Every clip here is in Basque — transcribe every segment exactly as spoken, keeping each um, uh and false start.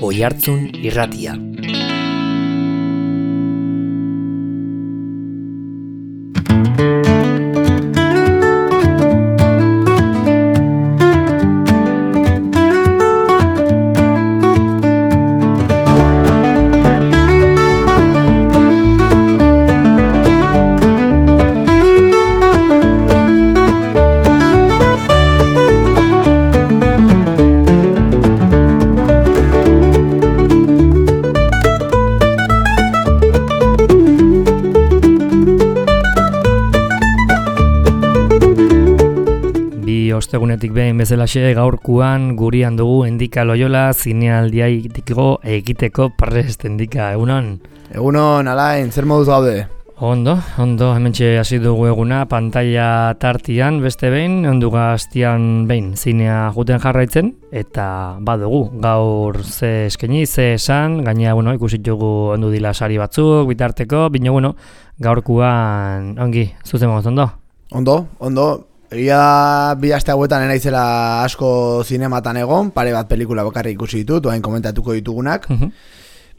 Oihartzun Irratia. Ostegunetik behin bezalaxe gaurkuan gurian dugu Endika Loyola zinealdia egiteko egiteko prest. Endika, egunon? Egunon, Alain, zer moduz gaude? Ondo, ondo, hementxe hasi dugu eguna, pantalla tartian beste behin, onduga hastian behin zinea juten jarraitzen, eta badugu, gaur ze eskaini, ze esan, gainea, bueno, ikusit dugu ondu dila sari batzuk, bitarteko, bino, bueno, gaurkuan, ongi, zuzen moz, ondo? Ondo, ondo. Egia bi aste hauetan enaizela asko zinematan egon, pare bat pelikula bakarrik ikusi ditut, oain komentatuko ditugunak. Uh-huh.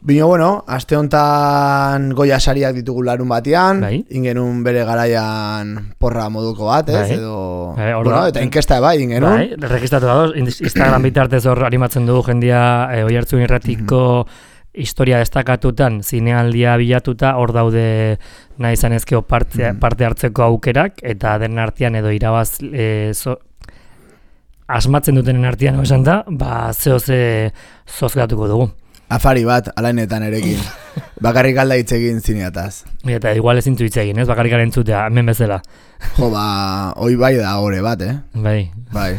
Bino, bueno, aste hontan Goya sariak ditugu larun batean, bai. Ingenun bere garaian porra moduko bat, ez? Bai. Edo... Bai, bueno, eta inkesta bai, ingenun. Bai, registratu dago, Instagram bitartez hor animatzen dugu jendia e, Oihartzun Irratiko uh-huh. historia destakatutan, zinealdia bilatuta, hor daude nahi zanezkeo parte, mm. parte hartzeko aukerak, eta den artean edo irabaz e, so, asmatzen dutenen artean esan da, ba zeo ze zozgatuko dugu. Afari bat, alainetan erekin. Bakarrik alda hitz egin zineataz. Eta igual ezin zu hitz egin, ez? Bakarrik arentzutea, hemen bezala. Jo, ba, hoi bai da ore bat, eh? Bai. Bai,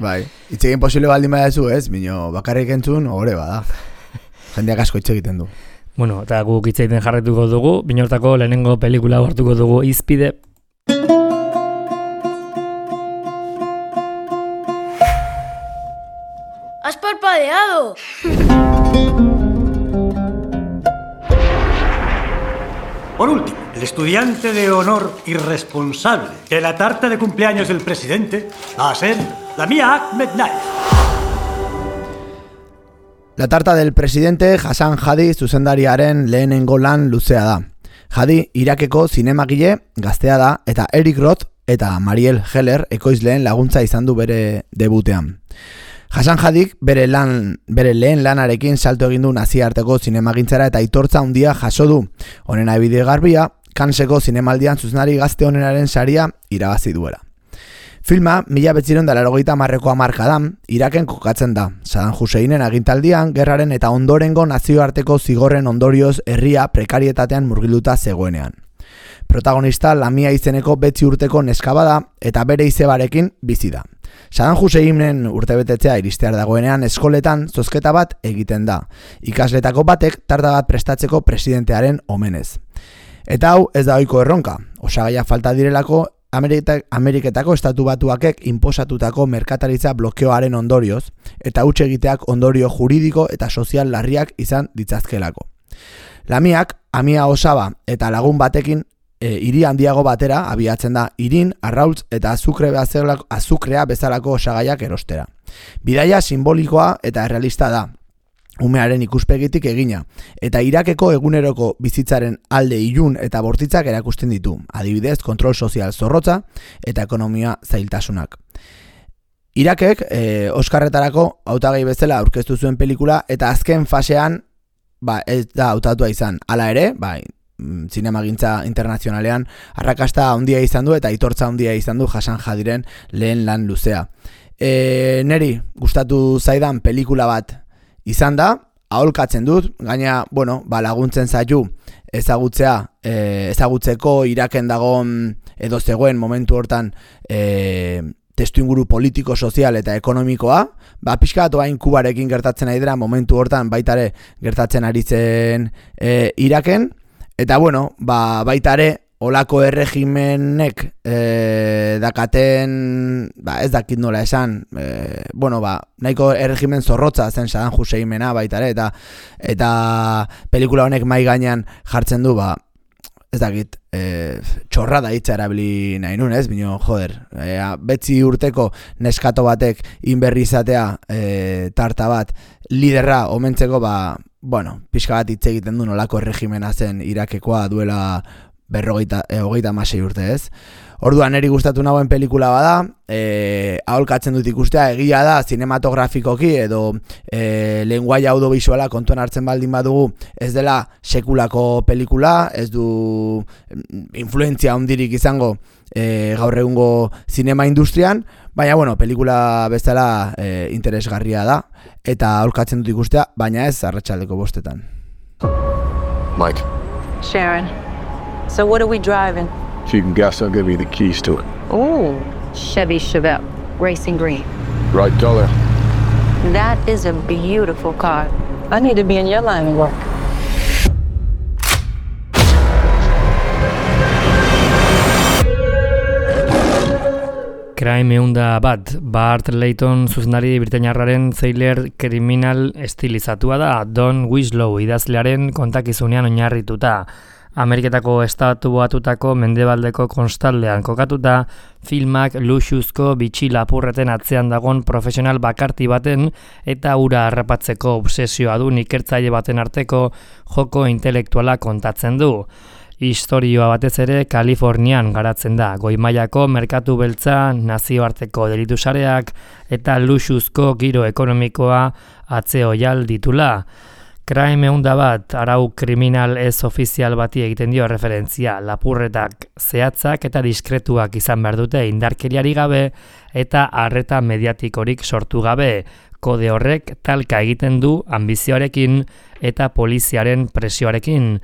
bai. Hitz egin posible baldin badazu, ez? Bino, bakarrik entzun, ore bada. Jendeak asko hitz egiten du. Bueno, eta guk hitz egiten jarretuko dugu, binortako lehenengo pelikula hartuko dugu Izpide. ¡Has parpadeado! Por último, el estudiante de honor irresponsable que la tarta de cumpleaños del presidente va a ser la mía Ahmed Naif. La tarta del presidente Hassan Hadi zuzendariaren lehenengo lan luzea da. Hadi Irakeko zinemagile gaztea da eta Eric Roth eta Mariel Heller ekoizleen laguntza izan du bere debutean. Hassan Hadik bere, lan, bere lehen lanarekin salto egin du nazioarteko zinemagintzara eta aitortza handia jaso du. Honen adibide garbia, Canneseko zinemaldian zuzendari gazte onenaren saria irabazi duela. Filma, mila behatziehun eta laurogeita hamarreko hamarkadan, Iraken kokatzen da. Saddam Husseinen agintaldian, gerraren eta ondorengo nazioarteko zigorren ondorioz herria prekarietatean murgilduta zegoenean. Protagonista Lamia izeneko betzi urteko neskaba da eta bere izebarekin bizi da. Saddam Husseinen urtebetetzea iristear dagoenean eskoletan zozketa bat egiten da. Ikasletako batek tarta bat prestatzeko presidentearen omenez. Eta hau ez da ohiko erronka. Osagaiak falta direlako Ameriketako estatu batuakek inposatutako merkataritza blokeoaren ondorioz eta huts egiteak ondorio juridiko eta sozial larriak izan ditzazkelako. Lamiak, Amia Osaba eta lagun batekin e, hiri handiago batera abiatzen da irin, arrautz eta azukre bezalako, azukrea bezalako osagaiak erostera. Bidaia simbolikoa eta errealista da. Umearen ikuspegitik egina, eta Irakeko eguneroko bizitzaren alde ilun eta bortitzak erakusten ditu, adibidez kontrol sozial zorrotza eta ekonomia zailtasunak. Irakek e, Oskarretarako hautagai bezala aurkeztu zuen pelikula eta azken fasean ba, ez da hautatua izan. Hala ere, ba, zinemagintza internazionalean arrakasta handia izan du eta aitortza handia izan du Hassan Hadiren lehen lan luzea. E, neri gustatu zaidan pelikula bat izan da, aholkatzen dut, gaina, bueno, ba, laguntzen zaitu ezagutzea, e, ezagutzeko Iraken dagoen edo zegoen momentu hortan e, testuinguru politiko, sozial eta ekonomikoa, ba, pixka bat oain Kubarekin gertatzen ari dira momentu hortan baitare gertatzen ari zen e, Iraken, eta bueno, ba, baitare olako erregimenek e, dakaten, ba, ez dakit nola esan, e, bueno, ba, nahiko erregimen zorrotza zen Saddam Husseinena baita ere, eta, eta pelikula honek mai gainean jartzen du, ba, ez dakit, e, txorra da hitza erabili nahi nun, ez? Bino, joder, e, betzi urteko neskato batek inberri izatea e, tarta bat liderra omentzeko, ba, bueno, pixka bat hitz egiten du nolako erregimena zen Irakekoa duela berrogeita, e, hogeita hamasei urte, ez? Orduan niri gustatu nagoen pelikula bada, e, aholkatzen dut ikustea, egia da, zinematografikoki edo e, lenguaia audiovisuala kontuan hartzen baldin badugu, ez dela sekulako pelikula, ez du influentzia handirik izango e, gaur egungo zinema industrian, baina, bueno, pelikula bezala e, interesgarria da, eta aholkatzen dut ikustea, baina ez arratsaldeko bostetan. Mike. Sharon. So what are we driving? If you can guess, I'll give you the keys to it. Ooh, Chevy Chevelle, racing green. Right color. That is a beautiful car. I need to be in your line of work. Crime eunda bat, Bart Layton zuzendari britainiarraren thriller kriminal estilizatua da, Don Winslow idazlearen kontakizunean oinarrituta. Ameriketako estatu batutako mendebaldeko konstaldean kokatuta, filmak luxuzko bitxi lapurreten atzean dagon profesional bakarti baten eta ura harrapatzeko obsesioa du ikertzaile baten arteko joko intelektuala kontatzen du. Historioa batez ere Kalifornian garatzen da, goi-mailako merkatu beltza, nazioarteko delitu sareak eta luxuzko giro ekonomikoa atzeoial ditula. Crime eunda bat, arau kriminal ez ofizial bati egiten dio referentzia, lapurretak zehatzak eta diskretuak izan behar dute indarkeriari gabe eta arreta mediatikorik sortu gabe. Kode horrek talka egiten du ambizioarekin eta poliziaren presioarekin.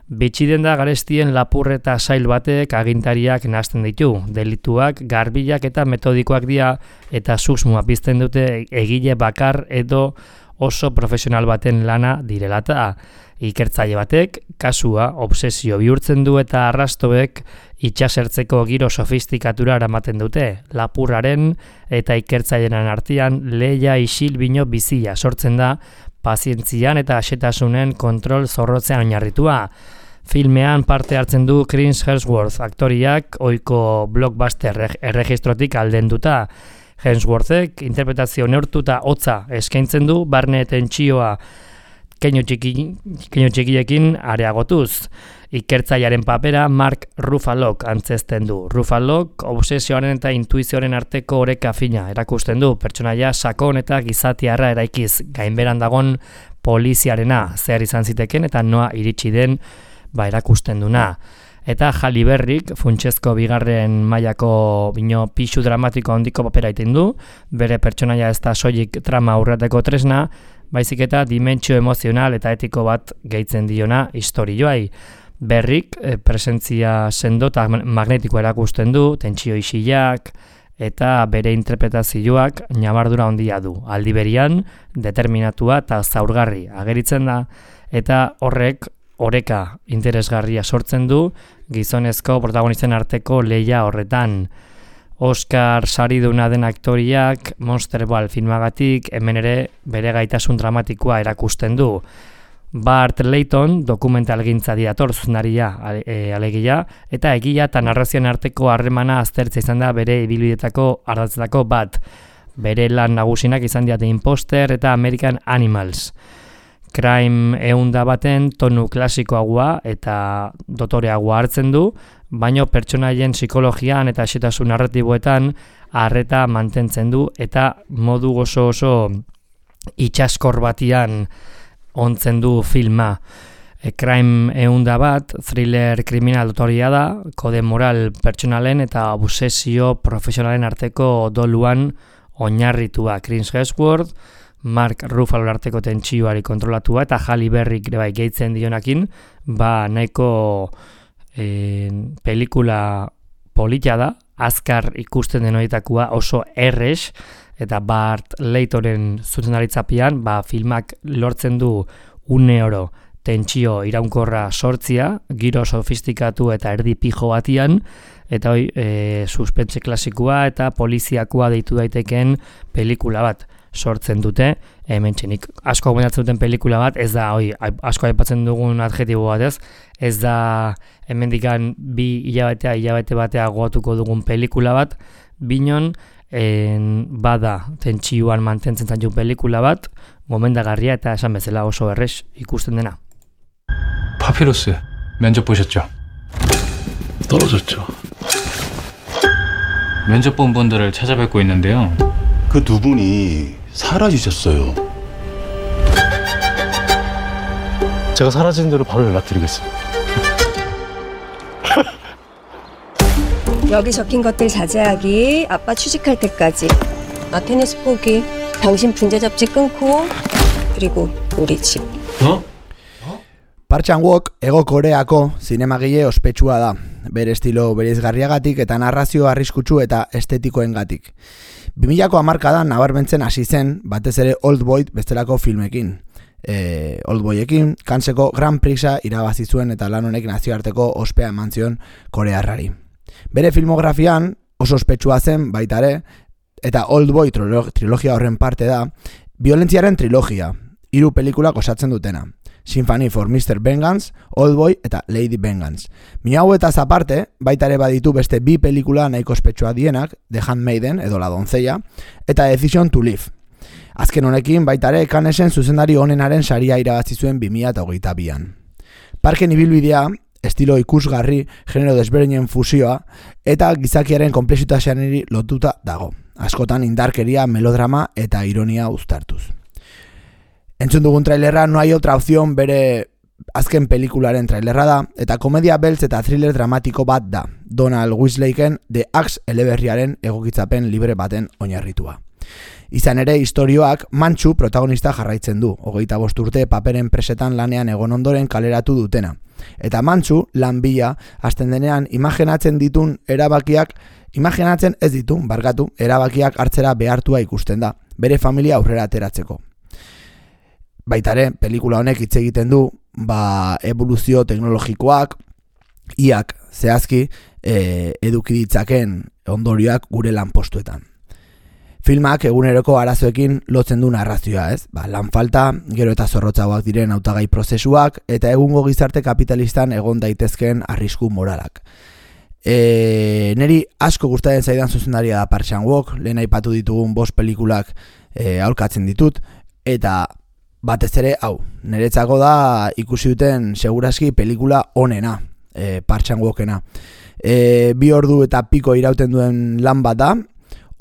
Bitxiden da garestien lapurreta sail batek agintariak nahasten ditu, delituak, garbilak eta metodikoak dira eta susmoa pizten dute egile bakar edo oso profesional baten lana direlata. Ikertzaile batek kasua obsesio bihurtzen du eta arrastoek itxasertzeko giro sofistikatura eramaten dute. Lapurraren eta ikertzailearen artean lehia isil bino bizia sortzen da pazientzian eta asetasunen kontrol zorrotzean oinarritua. Filmean parte hartzen du Chris Hemsworth aktoriak ohiko blockbuster erregistrotik aldenduta. Hemsworthek interpretazio neurtuta hotza eskaintzen du, barne tentsioa keinu txiki, keinu txikiekin areagotuz. Ikertzailearen papera Mark Ruffalok antzesten du. Ruffalok obsesioaren eta intuizioaren arteko oreka fina erakusten du, pertsonaia sakon eta gizatiarra eraikiz, gainberan dagon poliziarena zer izan ziteken eta noa iritsi den ba erakusten duna. Eta Halle Berryk funtsezko bigarren mailako bino pixu dramatiko handiko papera egiten du, bere pertsonaia ez da soilik trama aurreteko tresna, baizik eta dimentsio emozional eta etiko bat gehitzen diona istorioai. Berryk e, presentzia sendo eta magnetiko erakusten du, tentsio isilak eta bere interpretazioak ñabardura handia du. Aldi berian, determinatua eta zaurgarri ageritzen da, eta horrek oreka interesgarria sortzen du gizonezko protagonisten arteko lehia horretan. Oscar sariduna den aktoriak Monsterball filmagatik hemen ere bere gaitasun dramatikoa erakusten du. Bart Layton dokumentalgintza diator zuzendaria e, alegia eta egia eta narrazioen arteko harremana aztertza izan da bere ibilbideetako ardatzetako bat. Bere lan nagusinak izan dira The Imposter eta American Animals. Crime eunda baten tonu klasikoagoa eta dotoreagoa hartzen du, baino pertsonaien psikologian eta xetasun narratiboetan arreta mantentzen du eta modu oso oso itxaskor batian ontzen du filma. E, Crime eunda bat, thriller kriminal dotoria da, kode moral pertsonalen eta obsesio profesionalen arteko doluan oinarritua. Chris Hemsworth, Mark Ruffalo arteko tentsioari kontrolatua eta Halle Berryk bai gehitzen dionakin, ba nahiko e, pelikula polita da, azkar ikusten den horietakoa oso errex, eta Bart Laytonen zuzendaritzapean ba filmak lortzen du une oro tentsio iraunkorra sortzia, giro sofistikatu eta erdi pijo batian, eta hoi e, suspense klasikoa eta poliziakoa deitu daiteken pelikula bat. sortzen dute, hemen txenik asko gomendatzen duten pelikula bat, ez da, oi, asko aipatzen dugun adjetibo bat ez, ez da hemendikan bi hilabetea, hilabete batea goatuko dugun pelikula bat, binon, en, bada tentsioan mantentzen zaitun pelikula bat, gomendagarria eta esan bezala oso errez ikusten dena. 파피루스 면접 보셨죠? 떨어졌죠. 면접 본 분들을 찾아뵙고 있는데요. 그 두 분이 사라지셨어요. 제가 사라지는 대로 바로 연락드리겠습니다. 여기 적힌 것들 자제하기, 아빠 취직할 때까지. 나 테니스 포기, 당신 분재 잡지 끊고, 그리고 우리 집. 어? Park Chan-wook Hego Koreako zinemagile ospetsua da, bere estilo bereizgarriagatik eta narrazio arriskutsu eta estetikoengatik. bi milako hamarkadan nabarmentzen hasi zen, batez ere Oldboy bestelako filmekin. E, Oldboyekin Canneseko Grand Prixa irabazi zuen eta lan honek nazioarteko ospea eman zion korearrari. Bere filmografian oso ospetsua zen baita ere, eta Oldboy trilogia horren parte da, violentziaren trilogia, hiru pelikulak osatzen dutena. Symphony for mister Vengeance, Oldboy eta Lady Vengeance. Mila hauetaz aparte, baita ere baditu beste bi pelikula nahiko ospetsua dienak, The Handmaiden edo La Doncella, eta Decision to Live. Azken honekin baita ere Cannesen zuzendari onenaren saria irabazi zuen bi mila hogeita bian. Parken ibilbidea, estilo ikusgarri, genero desberdinen fusioa, eta gizakiaren konplexutaseaneri lotuta dago. Askotan indarkeria, melodrama eta ironia uztartuz. Entzun dugun trailerra No hay otra opción bere azken pelikularen trailerra da, eta komedia beltz eta thriller dramatiko bat da, Donald Westlakeen The Axe eleberriaren egokitzapen libre baten oinarritua. Izan ere, istorioak Mantxu protagonista jarraitzen du, hogeita bost urte paperen presetan lanean egon ondoren kaleratu dutena. Eta Mantxu, lan bila, hasten denean imaginatzen ditun erabakiak, imaginatzen ez ditun, barkatu, erabakiak hartzera behartua ikusten da, bere familia aurrera ateratzeko. Baitare, pelikula honek hitz egiten du, ba, evoluzio teknologikoak, iak zehazki e, eduki ditzaken ondorioak gure lanpostuetan. Filmak eguneroko arazoekin lotzen du narrazioa, ez? Ba, lan falta, gero eta zorrotzagoak diren hautagai prozesuak, eta egungo gizarte kapitalistan egon daitezkeen arrisku moralak. E, neri asko gustatzen zaidan zuzendaria da Park Chan-wook, lehen aipatu ditugun bost pelikulak e, aurkatzen ditut, eta batez ere, hau, niretzako da ikusi duten seguraski pelikula onena, e, Park Chan-wookena. E, bi ordu eta piko irauten duen lan bat da,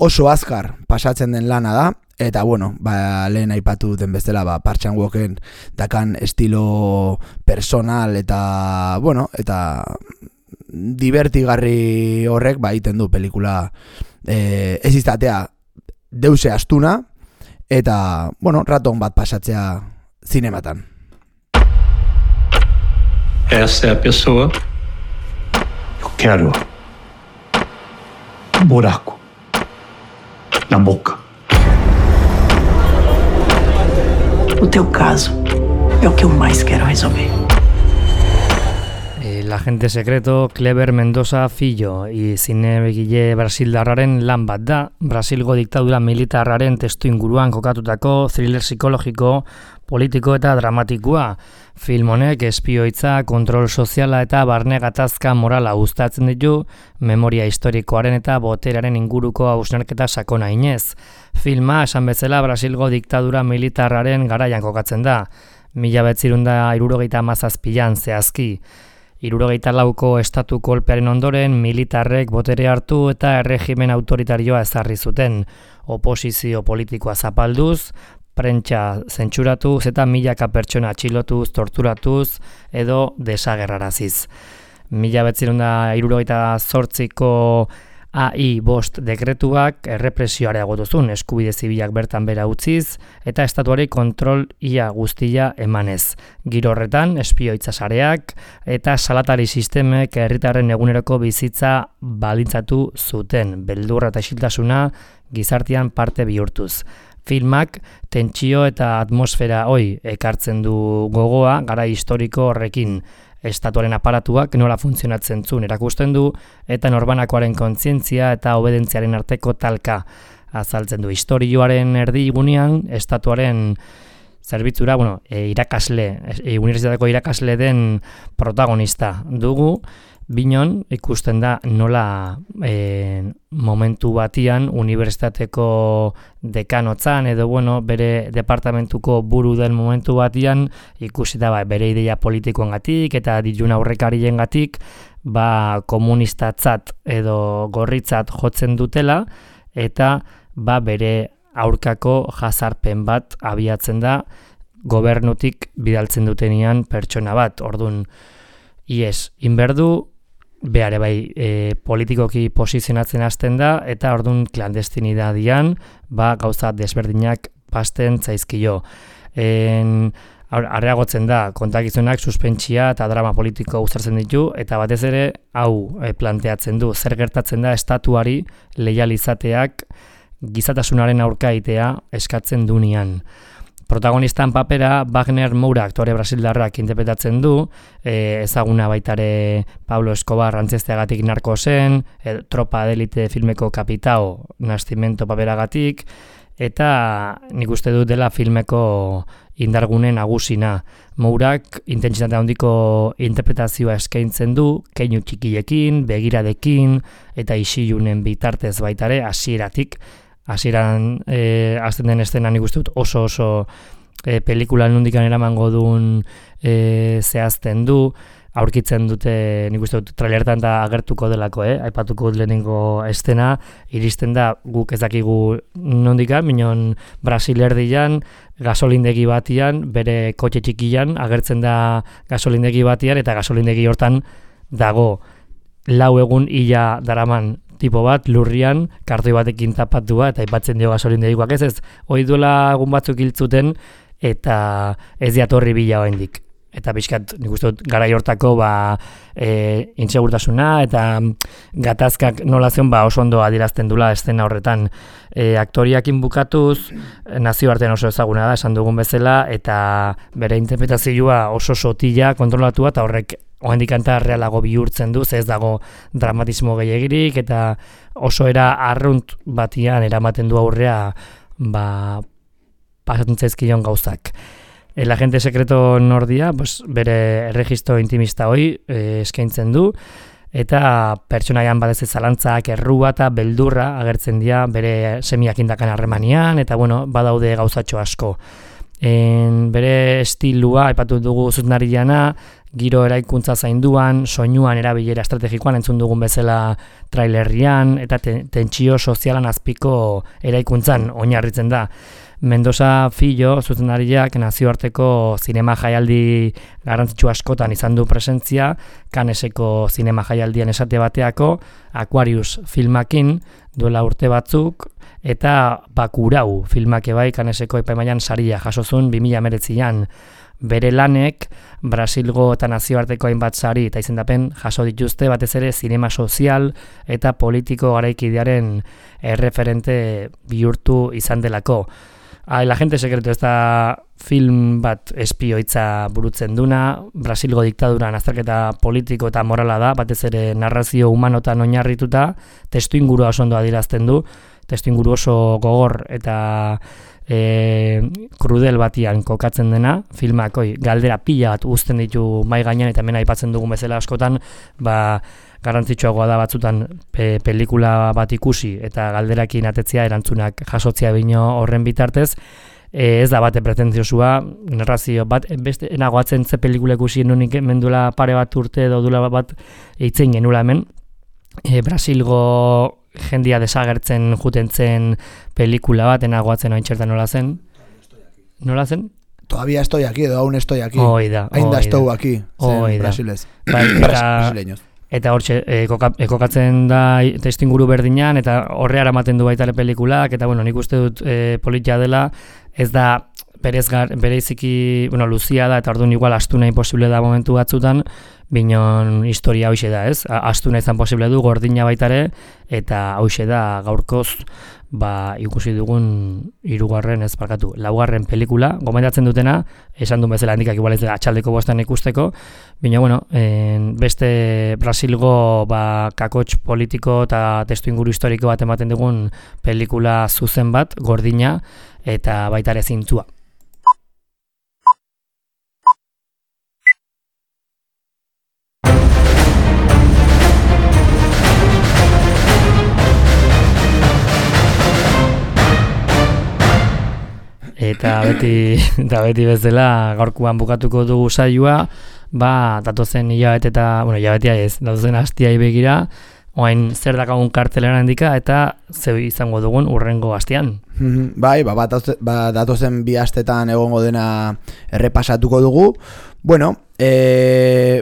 oso azkar pasatzen den lana da, eta bueno, ba, lehen aipatu duten bezala, ba, Park Chan-wooken dakan estilo personal eta, bueno, eta divertigarri horrek ba egiten du pelikula e, ez izatea deuse astuna, eta, bueno, raton bat pasatzea zinematan. Essa é a pessoa. Eu quero um buraco na boca. O teu caso é o que eu mais quero resolver. El agente secreto Clever Mendoza Filho izinegile brasildarraren lan bat da, Brasilgo diktadura militarraren testu inguruan kokatutako thriller psikologiko, politiko eta dramatikoa. Film honek espioitza, kontrol soziala eta barne gatazka morala uztatzen ditu, memoria historikoaren eta boteraren inguruko hausnarketa sakona inez. Filma, esan bezala, Brasilgo diktadura militarraren garaian kokatzen da, mila bederatziehun eta hirurogeita hamazazpian zehazki. Hirurogeita lauko estatu kolpearen ondoren militarrek botere hartu eta erregimen autoritarioa ezarri zuten, oposizio politikoa zapalduz, prentsa zentsuratuz eta milaka pertsona atxilotuz, torturatuz edo desagerraraziz. Mila bederatziehun eta hirurogeita zortziko A I bost dekretuak errepresioa areagotu zuen, eskubide zibilak bertan bera utziz eta estatuari kontrol ia guztia emanez. Giro horretan, espioitza sareak eta salatari sistemek herritarren eguneroko bizitza baldintzatu zuten, beldurra eta isiltasuna gizartean parte bihurtuz. Filmak tentsio eta atmosfera hoi ekartzen du gogoa gara historiko horrekin. Estatuaren aparatuak nola funtzionatzen zuen erakusten du eta norbanakoaren kontzientzia eta obedentziaren arteko talka. azaltzen du. Historioaren erdigunean, estatuaren zerbitzura, bueno, e, irakasle, e, unibertsitateko irakasle den protagonista dugu, binon ikusten da nola e, momentu batian unibertsitateko dekanotzan edo bueno, bere departamentuko buru den momentu batian ikusi da ba, bere ideia politikoengatik eta dilun aurrekariengatik ba komunistatzat edo gorritzat jotzen dutela eta ba bere aurkako jazarpen bat abiatzen da gobernutik bidaltzen dutenean pertsona bat. Ordun ies inberdu behare bai e, politikoki posizionatzen hasten da eta ordun klandestinidadian ba gauza desberdinak pasten zaizkio. En areagotzen da kontakizunak suspentsia eta drama politiko uztartzen ditu eta batez ere hau e, planteatzen du zer gertatzen da estatuari leializateak gizatasunaren aurka egitea eskatzen dunean. Protagonistan papera Wagner Moura aktore brasildarrak interpretatzen du, e, ezaguna baitare Pablo Escobar antzesteagatik narkosen, e, Tropa de Elite filmeko kapitao nastimento paperagatik, eta nik uste dut dela filmeko indargune nagusina. Mourak intentsitate handiko interpretazioa eskaintzen du, keinu txikiekin, begiradekin, eta isilunen bitartez baitare hasieratik. Hasieran eh, azten den estena nik uste dut oso oso eh, pelikulan nondikan eramango duen eh, zehazten du, aurkitzen dute nik uste dut trailertan da agertuko delako, eh? Aipatuko dut lehenengo estena, iristen da guk ez dakigu nondikan, minon Brasil erdian, gasolindegi batian, bere kotxe txikian, agertzen da gasolindegi batian, eta gasolindegi hortan dago lau egun ila daraman tipo bat, lurrian, kartoi batekin tapatua, eta aipatzen dio gasolindegikoak ez ez, hoi duela egun batzuk hiltzuten, eta ez diatorri bila oraindik. Eta pixkat, nik uste dut, garai hortako ba, e, insegurtasuna eta gatazkak nola zion ba, oso ondo adierazten dula estena horretan. E, aktoriakin bukatuz, nazioartean oso ezaguna da, esan dugun bezala, eta bere interpretazioa oso sotila kontrolatua, eta horrek oraindik kanta realago bihurtzen du, ez dago dramatismo gehiagirik, eta oso era arrunt batian eramaten du aurrea ba, pasatzen zaizkion gauzak. El agente secreto nordia, pues, bere erregistro intimista hoi eh, eskaintzen du, eta pertsonaian badez zalantzak, errua eta beldurra agertzen dira bere semiak indakan harremanian, eta bueno, badaude gauzatxo asko. En, bere estilua, aipatu dugu zuzenariana, giro eraikuntza zainduan, soinuan erabilera estrategikoan entzun dugun bezala trailerrian, eta te, tentsio sozialan azpiko eraikuntzan oinarritzen da. Mendoza Fillo, zuzendariak nazioarteko zinema jaialdi garrantzitsu askotan izan du presentzia, Canneseko zinema jaialdian esate bateako, Aquarius filmakin duela urte batzuk, eta Bakurau filmak bai Canneseko epaimailan saria jasozun bi mila hemeretzian. Bere lanek Brasilgo eta nazioarteko hainbat sari eta izendapen jaso dituzte batez ere zinema sozial eta politiko garaikidearen erreferente bihurtu izan delako. El agente secreto ez da film bat espioitza burutzen duna, Brasilgo diktadura azterketa politiko eta morala da, batez ere narrazio humanotan oinarrituta, testu ingurua oso ondo adierazten du, testu inguru oso gogor eta e, krudel batian kokatzen dena, filmak oi, galdera pila bat uzten ditu mai gainean eta hemen aipatzen dugun bezala askotan, ba, garrantzitsuagoa da batzutan pe, pelikula bat ikusi eta galderakin atetzea erantzunak jasotzea bino horren bitartez, e, ez da bate pretenziosua, narrazio bat, beste enagoatzen ze pelikula ikusi nunik mendula pare bat urte edo dula bat eitzen genula hemen, e, Brasilgo jendia desagertzen juten zen pelikula bat, enagoatzen hain txertan nola zen? Nola zen? Todavía estoy aquí, edo aún estoy aquí. Oida, Ainda estou aquí, zen Brasilez. Brasileños. Eta hortxe, e, kokatzen da testu inguru berdinan, eta horre aramaten du baitare pelikulak, eta bueno, nik uste dut e, politia dela, ez da berezgar, bereziki, bueno, luzia da, eta orduan igual astu nahi posible da momentu batzutan, binon historia hoxe da, ez? Astu nahi zan posible du, gordina baitare, eta hoxe da gaurkoz, ba, ikusi dugun hirugarren ez barkatu, laugarren pelikula, gomendatzen dutena, esan duen bezala handikak igual ez da atxaldeko bostan ikusteko, baina, bueno, en, beste Brasilgo ba, kakotx politiko eta testu inguru historiko bat ematen dugun pelikula zuzen bat, gordina, eta baitare zintzua. Eta beti, eta beti bezala gaurkuan bukatuko dugu saioa, ba, datozen hilabete eta, bueno, hilabetea ez, datozen hastiai begira, oain zer dakagun kartelera handika eta zeu izango dugun urrengo hastian. Bai, ba, ba, datozen bi astetan egongo dena errepasatuko dugu. Bueno, e,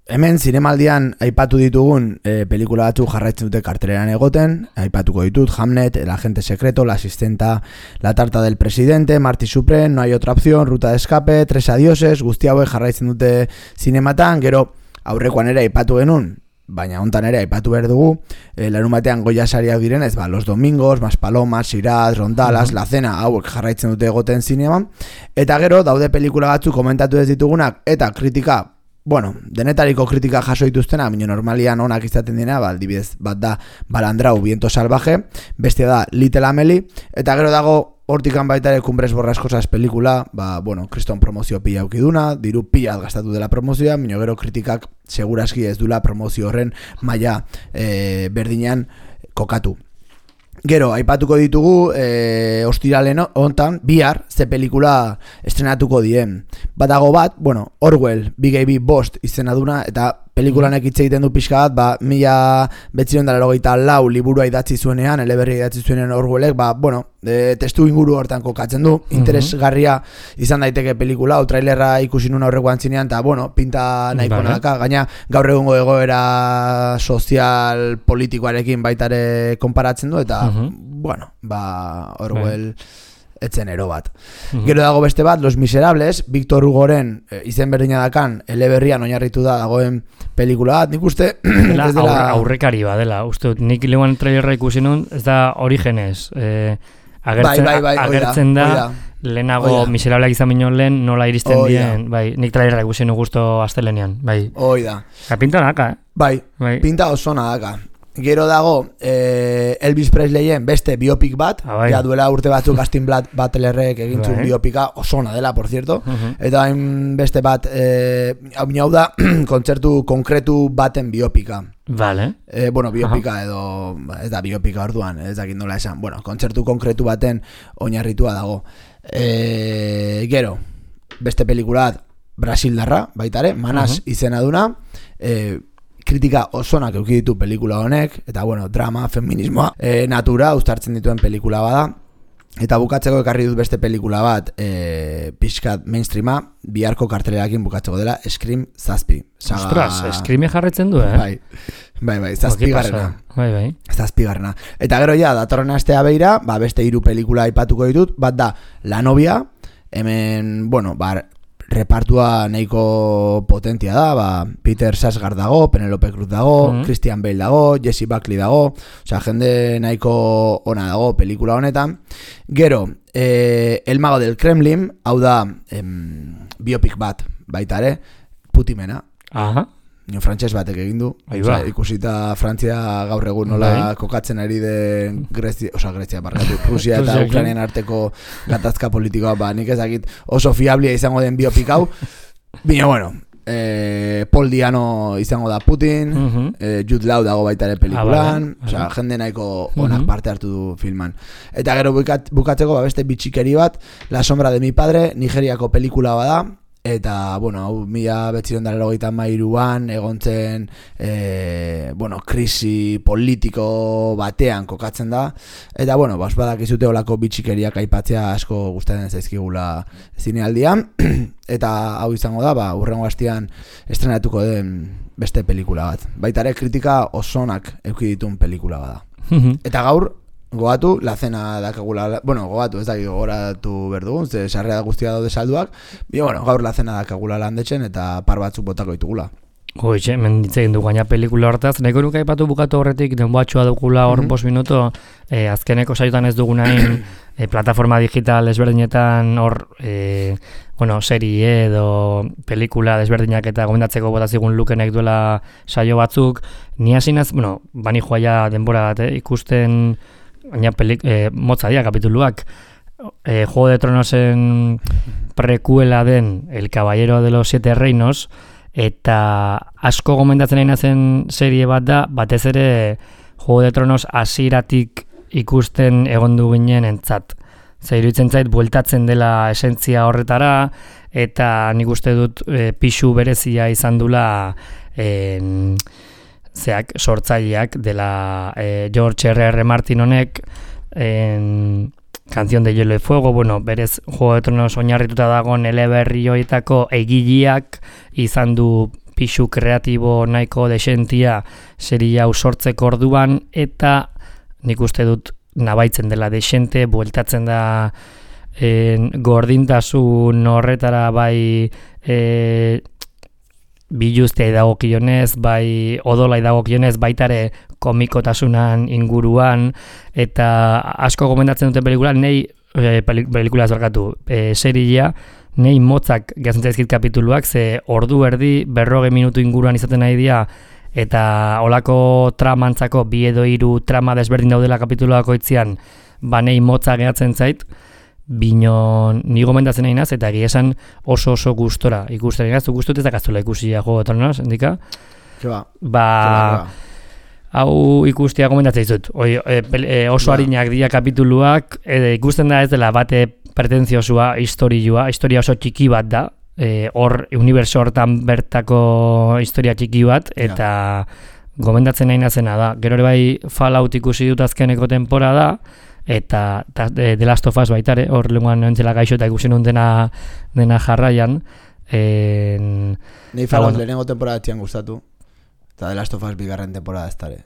hemen zinemaldian aipatu ditugun e, pelikula batzuk jarraitzen dute karteleran egoten, aipatuko ditut Hamnet, El agente secreto, La asistenta, La tarta del presidente, Marty Supreme, No hay otra opción, Ruta de escape, Tres adioses, guzti hauek jarraitzen dute zinematan, gero aurrekoan ere aipatu genuen, baina hontan ere aipatu behar dugu, e, larun batean Goya sariak direnez, ba, Los domingos, Maspalomas, Shiraz, Rondalas, uh-huh. La cena, hauek jarraitzen dute egoten zineman, eta gero daude pelikula batzuk komentatu ez ditugunak, eta kritika, bueno, denetariko kritika jaso dituztena, baina normalian onak izaten dira, ba, adibidez bat da Balandrau, Viento salvaje, bestia da Little Amelie, eta gero dago hortikan baita ere Cumbres borrascosas pelikula, ba, bueno, kriston promozio pila aukiduna, diru pila gastatu dela promozioa, baina gero kritikak seguraski ez dula promozio horren maila e, berdinean kokatu. Gero, aipatuko ditugu, e, ostiralen hontan, bihar, ze pelikula estrenatuko dien. Badago bat, bueno, Orwell, Big A B Bost izena duna, eta pelikulanek hitz egiten du pixka bat, ba, mila betzirion dara logeita lau liburua idatzi zuenean, eleberri idatzi zuenean Orwellek, ba, bueno, e, testu inguru hortan kokatzen du, interesgarria izan daiteke pelikula, o trailerra ikusi nuen aurrekoan zinean, eta, bueno, pinta nahiko vale. Nadaka, gaina gaur egungo egoera sozial politikoarekin baitare konparatzen du, eta, uh-huh. bueno, ba, Orwell... Vale. Etzen ero bat. Uh-huh. Gero dago beste bat, Los Miserables, Victor Hugoren e, izen berdina dakan, eleberrian oinarritu da dagoen pelikula bat, nik uste... Dela, dela... aurrekari ba, dela, uste, nik leuan trailerra ikusi nun, ez da Orígenes, eh, agertzen, bai, bai, bai, agertzen oida, da, oida. Lehenago oida. Miserableak izan minon lehen, nola iristen oida. Dien, bai, nik trailerra ikusi nun gusto astelenean, bai. Oida. Ka pinta naka, eh? Bai, bai. Pinta oso nadaka. Gero dago eh, Elvis Presleyen beste biopik bat, ah, bai. Ja duela urte batzuk Austin Butlerrek egintzun bai. Biopika osona dela, por cierto, uh-huh. Eta hain beste bat, eh, hau da, kontzertu konkretu baten biopika. Vale. Eh, bueno, biopika uh-huh. edo, ez da biopika orduan, ez dakit nola esan, bueno, kontzertu konkretu baten oinarritua dago. Eh, gero, beste pelikulat Brasildarra, baitare, Manas uh-huh. izena duna, eh, kritika osonak eduki ditu pelikula honek, eta bueno, drama, feminismoa, e, natura, uztartzen dituen pelikula bada, eta bukatzeko ekarri dut beste pelikula bat, e, pixkat mainstreama, biharko kartelerakin bukatzeko dela, Scream zazpi. Saga... Ostras, Scream jarretzen du, eh? Bai, bai, bai, zazpigarrena. Bai, bai. Zazpigarrena. Eta gero ja, datorren astea beira, ba, beste hiru pelikula aipatuko ditut, bat da, La novia, hemen, bueno, bar, repartua nahiko potentia da, ba, Peter Sarsgaard dago, Penelope Cruz dago, mm-hmm. Christian Bale dago, Jesse Buckley dago, osea, jende nahiko ona dago pelikula honetan. Gero, eh, El mago del Kremlin, hau da em, biopik bat, baita ere, Putimena. Aha. Nio frantses batek egin du, osea, ikusita Frantzia gaur egun nola Bai. Kokatzen ari den Grezia, osea, Grezia barkatu, Rusia eta Ukrainian arteko gatazka politikoa, ba, nik ez dakit oso fiablia izango den biopik hau. Bino, bueno, eh, Paul Diano izango da Putin, uh-huh. eh, Jude Law dago baita ere pelikulan, ah, osea, jende nahiko onak uh-huh. parte hartu du filman. Eta gero bukat, bukatzeko, ba, beste bitxikeri bat, La sombra de mi padre, Nigeriako pelikula bada, eta, bueno, hau mila betziron dara logeita mairuan egontzen, e, bueno, krisi politiko batean kokatzen da, eta, bueno, bas badak izute olako bitxikeriak aipatzea asko gustatzen zaizkigula zinealdian, eta hau izango da, ba, urrengo hastian estrenatuko den beste pelikula bat. Baita ere kritika osonak eduki ditun pelikula bada. Eta gaur, gogatu, la cena dakagula, bueno, gogatu, ez dakik gogoratu berdugun, ze sarrera guztia daude salduak, bine, bueno, gaur la cena dakagula landetzen eta par batzuk botako ditugula. Hoxe, menditzen du gaina pelikula hortaz, nahiko nuke aipatu bukatu horretik, denboatxoa dugula hor mm -hmm. bost minuto, eh, azkeneko saiotan ez dugunain, eh, plataforma digital ezberdinetan hor, eh, bueno, serie edo pelikula desberdinak eta gomendatzeko bota zigun Lukenek duela saio batzuk, ni hasinaz, bueno, bani joa ja denbora bat, eh, ikusten, gaina pelik, eh, motza dira kapituluak, eh, Juego de Tronosen prekuela den El Caballero de los Siete Reinos, eta asko gomendatzen nahi nazen serie bat da, batez ere Juego de Tronos hasieratik ikusten egondu ginen entzat. Zer iruditzen zait, bueltatzen dela esentzia horretara, eta nik uste dut e, pixu berezia izan dula e, zeak, sortzaileak dela e, George erre erre Martin honek, en, Canción de Hielo y Fuego, bueno, berez Juego de Tronos oinarrituta dagoen eleberri horietako egileak izan du pixu kreatibo nahiko desentia serie hau sortzeko orduan, eta nik uste dut nabaitzen dela desente, bueltatzen da en, gordintasun horretara bai e, biluztea dagokionez, bai odolai dagokionez, baitare komikotasunan inguruan, eta asko gomendatzen duten pelikula, nei e, pelikula zorkatu, e, seria, nei motzak gehatzen zaizkit kapituluak, ze ordu erdi, berroge minutu inguruan izaten nahi dira, eta olako tramantzako bi edo hiru trama desberdin daudela kapituluako itzian, ba nei motza gehatzen zait, bino ni gomendatzen nahi naz, eta egia esan oso oso gustora ikusten nahi naz, gustut ez dakaztula ikusia Juego de Tronos, endika? Ba, ba hau ikustia gomendatzen dizut. Oi, e, e, oso ba. Harinak dira kapituluak, e, ikusten da ez dela bate pretenziosua, historioa, historia oso txiki bat da, e, hor uniberso hortan bertako historia txiki bat, eta ja. Gomendatzen nahi nazena da. Gero ere bai Fallout ikusi dut azkeneko temporada, eta ta, de, The Last of Us baitare, hor lenguan nentzela gaixo eta ikusi nun dena, dena jarraian. En, Nei Fallout bueno. Lehenengo temporada tian gustatu, eta The Last of Us bigarren temporada ez tare.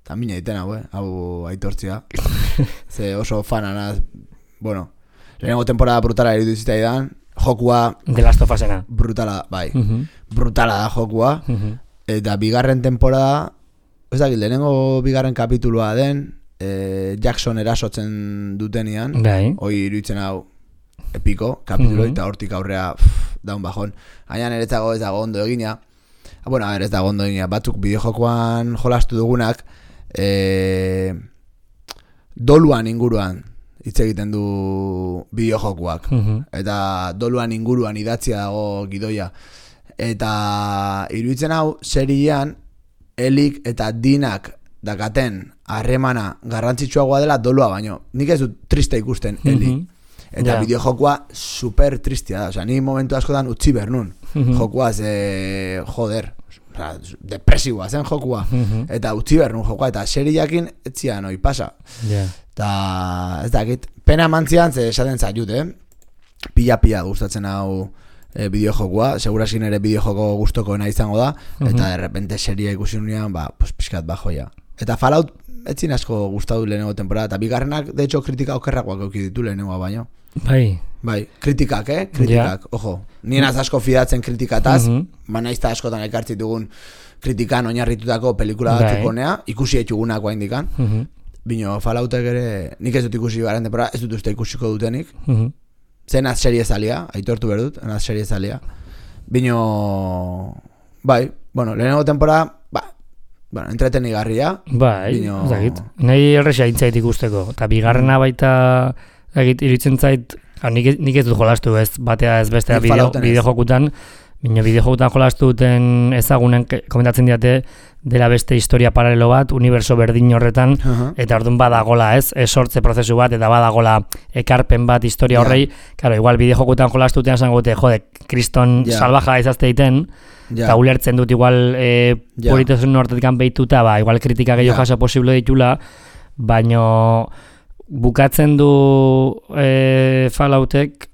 Eta mina egiten hau, eh? Hau aitortzia. Ze oso fananaz, bueno, lehenengo temporada brutala eritu zitaidan, jokua... The Last of Usena. Brutala, bai. Uh-huh. Brutala da jokua. Uh-huh. Eta bigarren temporada, ez dakit, lehenengo bigarren kapitulua den, eh, Jackson erasotzen dutenian, bai. Hoi iruditzen hau epiko, kapitulo, uh-huh. Eta hortik aurrea pff, daun bajón. Hainan ere ez dago ez dago ondo egina. Ah, bueno, a ver, ez dago ondo egina. Batzuk bideojokoan jolastu dugunak, eh, doluan inguruan hitz egiten du bideojokoak. Uh-huh. Eta doluan inguruan idatzia dago gidoia. Eta iruditzen hau seriean Elik eta Dinak dakaten harremana garrantzitsuagoa dela dolua baino. Nik ez dut triste ikusten Elik. Mm-hmm. Eta yeah. Bideojokoa super tristea da. Osea, ni momentu askotan utzi bernun. Mm-hmm. Jokoa ze joder, osea, depresiboa zen jokoa. Mm-hmm. Eta utzi bernun jokoa eta serieekin etzian hoi pasa. Yeah. Eta ez dakit, pena mantzian ze esaten zaiut, eh? Pila-pila gustatzen hau E, bideojokoa, segurasin ere bideojoko gustokoena izango da, uh-huh. Eta de repente seria ikusi nunean, ba, pues pixkat bajoia. Eta Fallout etzin asko gustatu lehenengo temporada, eta bigarrenak, de hecho, kritika okerrakoak euki ditu lehenengoa baino. Bai. Bai, kritikak, eh? Kritikak, yeah. Ojo. Nien az asko fidatzen kritikataz, uh-huh. Ba naizta askotan ekartzitugun kritikan oinarritutako pelikula batzuk honea, ikusi etxugunak guain dikan. Uh-huh. Bino, Falloutek ere, nik ez dut ikusi bigarren temporada, ez dut uste ikusiko dutenik. Uh-huh. Zen az serie zalia, aitortu berdut, az serie zalia. Bino, bai, bueno, lehenengo temporada, ba, bueno, entretenigarria. Bai, bino... zagit. Nahi errexea intzait ikusteko. Eta bigarrena baita, zagit, iritzen zait, nik, nik ez dut jolastu ez, batea ez bestea bideo, bideojokutan, bino bideojokutan jolastu duten ezagunen komentatzen diate, dela beste historia paralelo bat, uniberso berdin horretan, uh-huh. Eta orduan badagola ez, esortze prozesu bat, eta badagola ekarpen bat historia yeah. Horrei, claro, igual bideojokutan jolastutean zango dute, jode, kriston yeah. Salvaja izazte egiten, yeah. Eta ulertzen dut igual e, yeah. Politasun hortetikan behituta, ba, igual kritika gehiago yeah. Jaso posible ditula, baino bukatzen du e, Falloutek,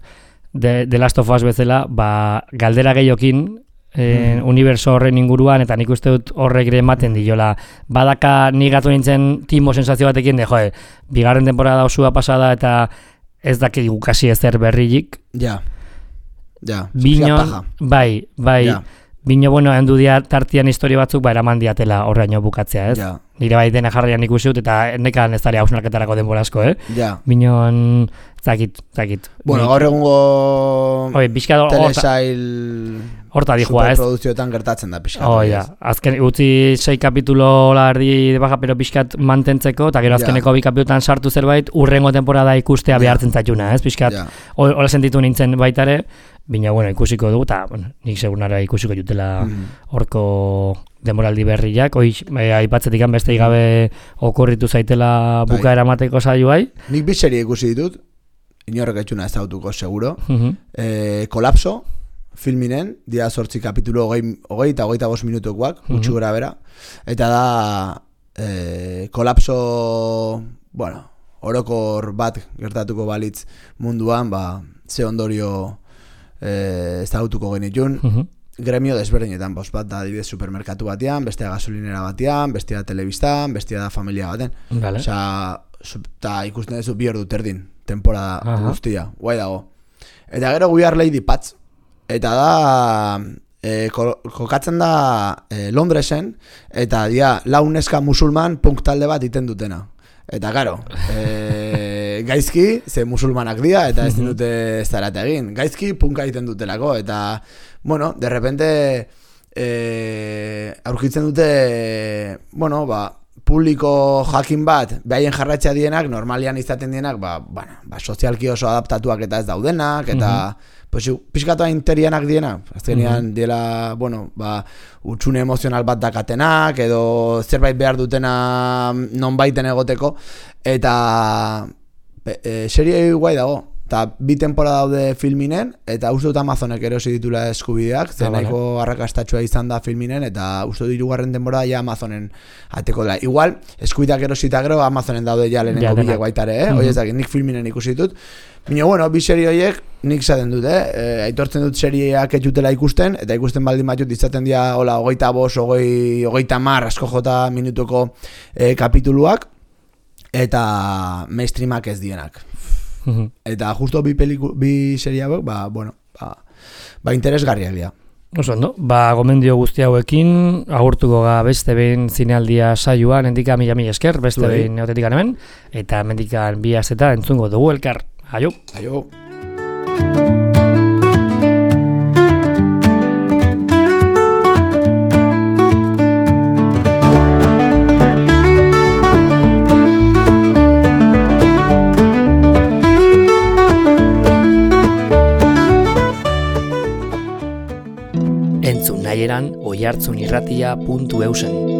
de, de Last of Us bezala, ba, galdera gehiokin, e, mm. uniberso horren inguruan, eta nik uste dut horrek ere ematen diola. Badaka nik gatu nintzen timo sensazio batekin, de, joe, bigarren temporada osua pasada, eta ez dakik gukasi ezer berrilik. Ja, ja. Binon, bai, bai. Ja. Bino, bueno, hendu dia tartian historia batzuk, ba, eraman diatela horreino bukatzea, ez? Ja. Nire bai dena jarrian ikusi dut, eta nekan ez dara hausnarketarako denbora asko, eh? Ja. Binon, zakit, zakit. Bueno, gaur egungo Oi, telesail horta dijua, ez? Superproduzioetan gertatzen da pixkat. Oh, ja. Azken, utzi sei kapitulo lardi de baja, pero pixkat mantentzeko, eta gero azkeneko bi kapitulotan sartu zerbait, urrengo temporada ikustea ja. Behartzen zaituna, ez? Pixkat, ja. Hola sentitu nintzen baitare, bina, bueno, ikusiko dugu, eta, bueno, nik segunara ikusiko jutela horko mm. demoraldi berriak, hoi, eh, aipatzetik beste gabe okurritu zaitela bukaera mateko saioai. Nik bitxeria ikusi ditut, inorrek etxuna ez dautuko, seguro. Uh-huh. eh, kolapso, filminen, dia sortzi kapitulo hogei, hogei eta hogeita bost minutukoak, uh-huh. gutxi gora bera, eta da eh, kolapso, bueno, orokor bat gertatuko balitz munduan, ba, ze ondorio Eh, ez da autuko genitun uh-huh. gremio desberdinetan, bost bat da adibidez supermerkatu batean, bestea gasolinera batean, bestea telebistan, bestea da familia baten vale. Osa, eta ikusten duzu bi ordu terdin temporada uh-huh. guztia, guai dago. Eta gero We Are Lady Pats, eta da eh, kokatzen da eh, Londresen, eta dia lau neska musulman punk talde bat iten dutena. Eta karo, e, gaizki, ze musulmanak dira, eta ez dute ez darate egin. Gaizki punka egiten dutelako, eta, bueno, de repente, e, aurkitzen dute, bueno, ba, publiko jakin bat, behaien jarratxea dienak, normalian izaten dienak, ba, bueno, ba, sozialki oso adaptatuak eta ez daudenak, eta, uh-huh. pues, pixkatoa interianak dienak, azkenean uh-huh. diela, bueno, ba, utxune emozional bat dakatenak, edo zerbait behar dutena nonbaiten egoteko, eta e, serie guai dago, eta bi temporada daude filminen, eta uste dut Amazonek erosi ditula eskubideak, zen nahiko arrakastatxoa izan da filminen, eta uste dut hirugarren temporada ja Amazonen ateko dela. Igual, eskubideak erosita gero Amazonen daude ja lehenengo ja, bilek baitare, eh? Mm-hmm. Oiezak, nik filminen ikusi ditut. Bino, bueno, bi serie horiek nik zaten dut, eh? E, aitortzen dut serieak etxutela ikusten, eta ikusten baldin batut izaten dira, hola, hogeita bos, hogei, hogeita mar, asko jota minutuko e, kapituluak, eta mainstreamak ez dienak. Eta justo bi peliku, bi serie hauek, ba, bueno, ba, ba interesgarriak dira. Oso ondo, ba, gomendio guzti hauekin, agurtuko ga beste behin zinealdia saioan, endika mila mila esker, beste Zuei. Behin neotetikan hemen, eta mendikan bi azeta entzungo dugu elkar. Aio. Aio. Entzun nahieran oihartzunirratia puntu eusen.